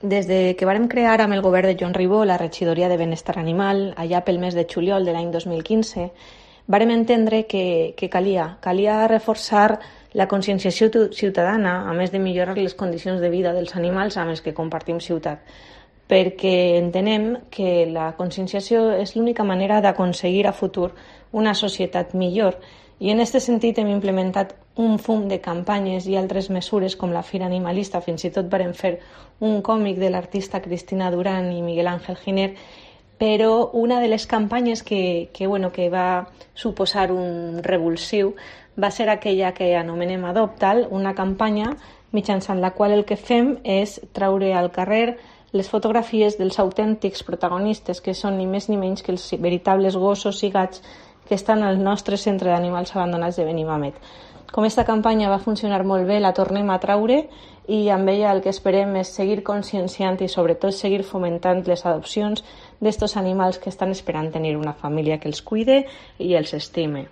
Des que vàrem crear amb el govern de Joan Ribó la regidoria de Benestar Animal, allà pel mes de juliol de l'any 2015, vàrem entendre que calia reforçar la conscienciació ciutadana, a més de millorar les condicions de vida dels animals amb els que compartim ciutat, perquè entenem que la conscienciació és l'única manera d'aconseguir a futur una societat millor. I en aquest sentit hem implementat un fum de campanyes i altres mesures com la Fira Animalista, fins i tot vàrem fer un còmic de l'artista Cristina Durán i Miguel Ángel Giner, però una de les campanyes que va suposar un revulsiu va ser aquella que anomenem Adopta'l, una campanya mitjançant la qual el que fem és treure al carrer les fotografies dels autèntics protagonistes, que són ni més ni menys que els veritables gossos i gats que estan al nostre centre d'animals abandonats de Benimàmet. Com aquesta campanya va funcionar molt bé, la tornem a traure i amb ella el que esperem és seguir conscienciant i sobretot seguir fomentant les adopcions d'estos animals que estan esperant tenir una família que els cuide i els estime.